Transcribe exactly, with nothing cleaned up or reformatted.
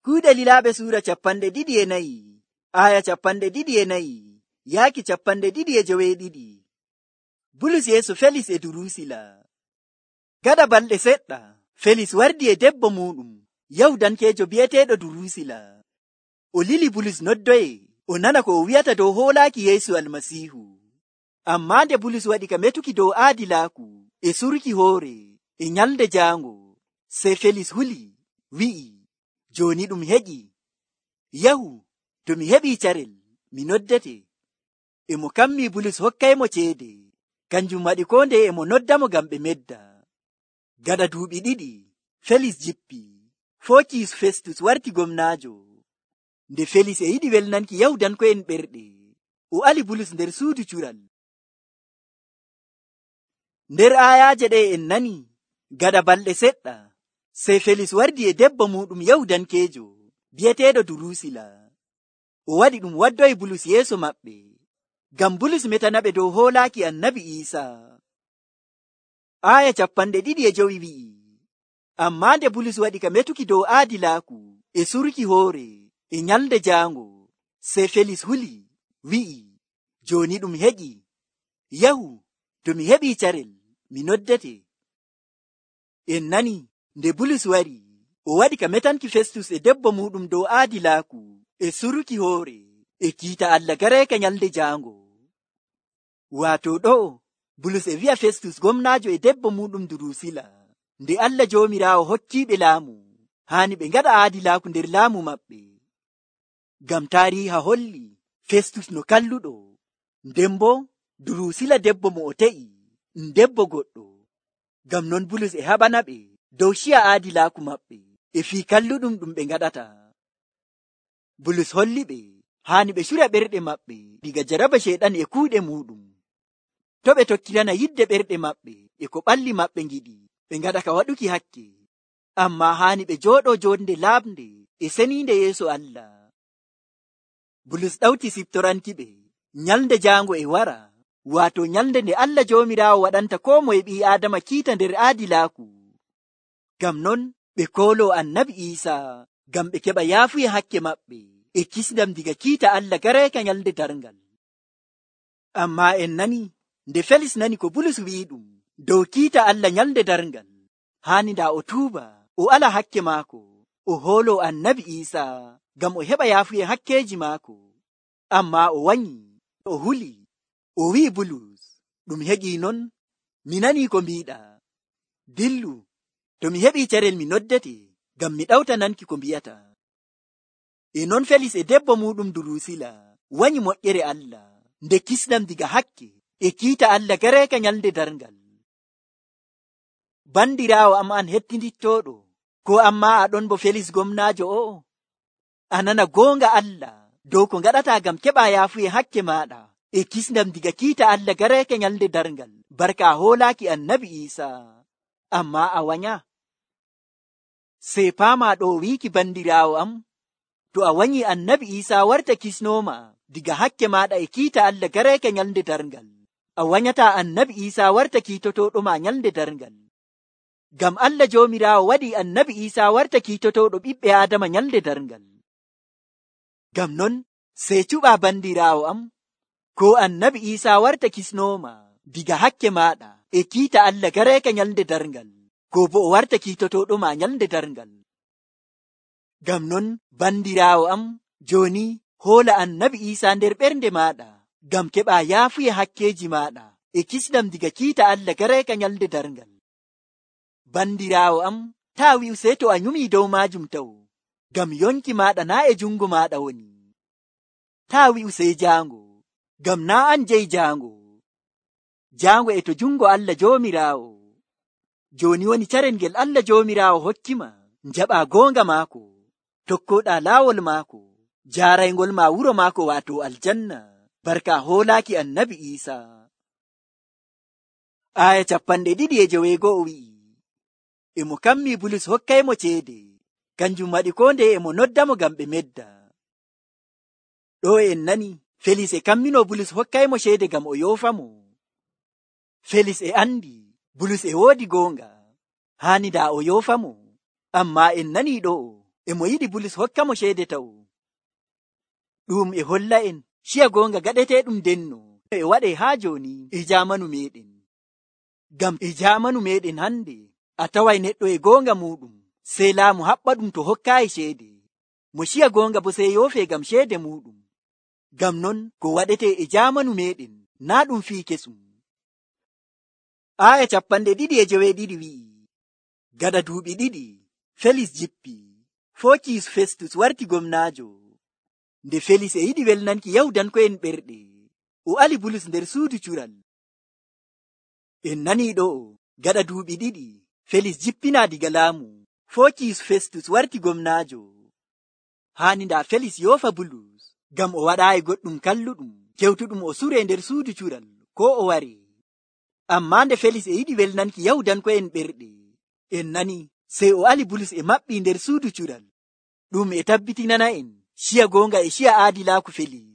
Kuuɗe Lilaaɓe suura capanɗe ɗiɗi e nayi, aya capanɗe ɗiɗi e nayi, yaaki capanɗe ɗiɗi e joweeɗiɗi. Bulus yeeso Felis e Durusila. Gaɗa balɗe seɗɗa, Felis wardi e debbo muuɗum, Yahudankeejo bi'eteeɗo Durusila. O lili Bulus noddoye, o nana ko o wi'ata dow hoolaaki Yeesu Almasiihu. Ammaa nde Bulus waɗi ka metuki dow aadilaaku e suruki hoore e nyalde jaango, sey Felis huli, wi'i, jooni ɗum heƴi. Yahu, to mi heɓii carel, mi noddete. E mo kammii Bulus hokkaymo ceede, kanjum waɗi koo ndeye e mo noddamo ngam ɓe medda. Gaɗa duuɓi ɗiɗi, Felis jippi, Fookiyus Festus warti gomnaajo. Nde Felis e yiɗi welnanki Yahudanko'en ɓerɗe, o ali Bulus nder suudu cural. Nder aayaaje ɗe en nani, gaɗa balɗe seɗɗa, sey Felis wardi e debbo muuɗum Yahudankeejo, bi'eteeɗo Durusila. O waɗi ɗum waddoyi Bulus yeeso maɓɓe, ngam Bulus metanaɓe dow hoolaaki Annabi Iisaa. Aaya capanɗe ɗiɗi e jowi wi'i, ammaa nde Bulus waɗi ka metuki dow aadilaaku e suruki hoore e nyalde jaango, sey Felis huli, wi'i, jooni ɗum heƴi. Yahu, to mi heɓii carel, mi noddete. En nani, nde Bulus wari, o waɗi ka metanki Festus e debbo muuɗum dow aadilaaku e suruki hoore e kiita Allah gareeka nyalde jaango. Waato ɗo'o, Bulus e wi'a Festus gomnaajo e debbo muuɗum Durusila, nde Allah Joomiraawo hokkiiɓe laamu, haani ɓe ngaɗa aadilaaku nder laamu maɓɓe. Ngam taariiha holli Festus no kalluɗo, nden boo Durusila debbo mo o te'i, debbo goɗɗo. Ngam non Bulus e haɓana ɓe dow ciya aadilaaku maɓɓe e fii kalluɗum ɗum ɓe ngaɗata. Bulus holli ɓe haani ɓe cura ɓerɗe maɓɓe diga jaraba Ceyɗan e kuuɗe muuɗum. To ɓe tokkirana yidde ɓerɗe maɓɓe e ko ɓalli maɓɓe ngiɗi, ɓe ngaɗa ka waɗuki hakke. Ammaa haani ɓe jooɗoo joonde laaɓnde e seniinde yeeso Allah. Bulus ɗawti siftoranki ɓe nyalde jaango e wara, waato nyalde nde Allah Joomiraawo waɗanta koo moye ɓii Aadama kiita nder aadilaaku. Ngam non ɓe kooloo Annabi Iisaa ngam ɓe keɓa yaafuya hakke maɓɓe e kisndam diga kiita Allah gareeka nyalde darngal. Ammaa en nani, nde Felis nani ko Bulus wi'i ɗum dow kiita Allah nyalde darngal, haani ndaa o tuuba, o ala hakke maako, o hooloo Annabi Iisaa ngam o heɓa yaafuya hakkeeji maako. Ammaa o wanyi, o huli, o wi'i Bulus, ɗum heƴii non, mi nanii ko mbiiɗaa. Dillu, to mi heɓii carel mi noddete, ngam mi ɗawta nanki ko mbi'ata. E non Felis e debbo muuɗum Durusila wanyi moƴƴere Allah, nde kisnam diga hakke e kiita Allah gareeka nyalde darngal. Bandiraawo am an hettindittooɗo, ko ammaa aɗon bo Felis gomnaajo o'o? A nana goonga Allah dow ko ngaɗataa ngam keɓaa yaafuye hakke maaɗa e kisndam diga kiita Allah gareeka nyalde darngal, barka hoolaaki Annabi Iisaa. Ammaa a wanya. Sey paamaa ɗo wiiki bandiraawo am, to a wanyi Annabi Iisaa warta kisnooma diga hakke maaɗa e kiita Allah gareeka nyalde darngal, a wanyataa Annabi Iisaa warta kiitotooɗoma nyalde darngal. Ngam Allah Joomiraawo waɗi Annabi Iisaa warta kiitotooɗo ɓiɓɓe Aadama nyalde darngal. Ngam non sey cuɓaa bandiraawo am, ko Annabi Iisaa warta kisnooma diga hakke maaɗa e kiita Allah gareeka nyalde darngal, ko bo o warta kiitotooɗoma nyalde darngal. Ngam non bandiraawo am, jooni hoola Annabi Iisaa nder ɓernde maaɗa, ngam keɓaa yaafuya hakkeeji maaɗa e kisnam diga kiita Allah gareeka nyalde darngal. Bandiraawo am, taa wi'u sey to a nyumii dow maajum taw, ngam yonki maaɗa naa e jungo maaɗa woni. Taa wi'u sey jaango, ngam naa an jeyi jaango. Jaango e to jungo Allah Joomiraawo. Jooni woni carel ngel Allah Joomiraawo hokkima, njaɓaa goonga maako, tokkooɗaa laawol maako, jaaraygol ma wuro maako waato aljanna, barka hoolaaki Annabi Iisaa. Aaya capanɗe ɗiɗi e joweego'o wi'i, e mo kammii Bulus hokkaymo ceede, kanjum waɗi koo ndeye e mo noddamo ngam ɓe medda. Ɗo en nani, Felis e kammino Bulus hokkaymo ceede ngam o yoofamo. Felis e andi Bulus e woodi goonga, haani daa o yoofamo. Ammaa en nani ɗo e mo yiɗi Bulus hokka mo ceede taw. Ɗum e holla en ciya goonga gaɗeteeɗum denno e waɗe haa jooni e jaamanu meeɗen. Ngam e jaamanu meeɗen hande a taway neɗɗo e goonga muɗum sey laamu haɓɓa ɗum to hokkaayi ceede. Mo ciya goonga bo sey yoofee ngam ceede muɗum. Ngam non ko waɗetee e jaamanu meeɗen naa ɗum fii kesum. Aaya capanɗe ɗiɗi e joweeɗiɗi wi'i, gaɗa duuɓi ɗiɗi Felis jippi, Fookiyus Festus warti gomnaajo. Nde Felis e yiɗi welnanki Yahudanko'en ɓerɗe, o ali Bulus nder suudu cural. En nanii ɗo'o, gaɗa duuɓi ɗiɗi Felis jippinaa diga laamu, Fookiyus Festus warti gomnaajo. Haani ndaa Felis yoofa Bulus, ngam o waɗaayi goɗɗum kalluɗum kewtuɗum o suree nder suudu cural koo o wari. Ammaa nde Felis e yiɗi welnanki Yahudanko'en ɓerɗe, en nani sey o ali Bulus e maɓɓii nder suudu cural. Ɗum e tabbitinana en ciya goonga e ciya aadilaaku Felis.